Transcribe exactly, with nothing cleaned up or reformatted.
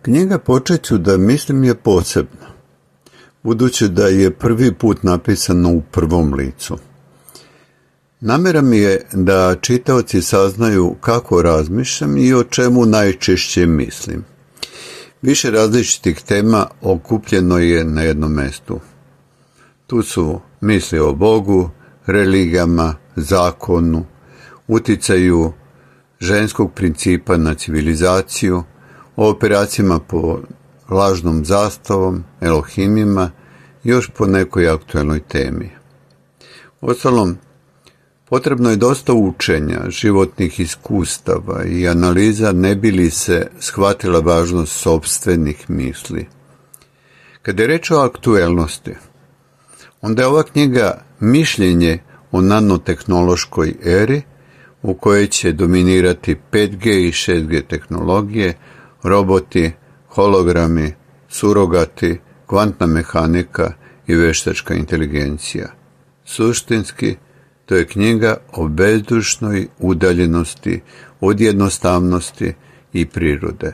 Knjiga Počet ću da mislim je posebna, budući da je prvi put napisano u prvom licu. Namera mi je da čitaoci saznaju kako razmišljam i o čemu najčešće mislim. Više različitih tema okupljeno je na jednom mestu. Tu su misli o Bogu, religijama, zakonu, uticaju ženskog principa na civilizaciju, o operacijama po lažnom zastavom, Elohimima, još po nekoj aktuelnoj temi. Uostalom, potrebno je dosta učenja, životnih iskustava i analiza ne bi li se shvatila važnost sopstvenih misli. Kada je reč o aktuelnosti, onda je ova knjiga mišljenje o nanotehnološkoj eri u kojoj će dominirati pet G i šest G tehnologije, roboti, hologrami, surogati, kvantna mehanika i veštačka inteligencija. Suštinski, to je knjiga o bezdušnoj udaljenosti od jednostavnosti i prirode.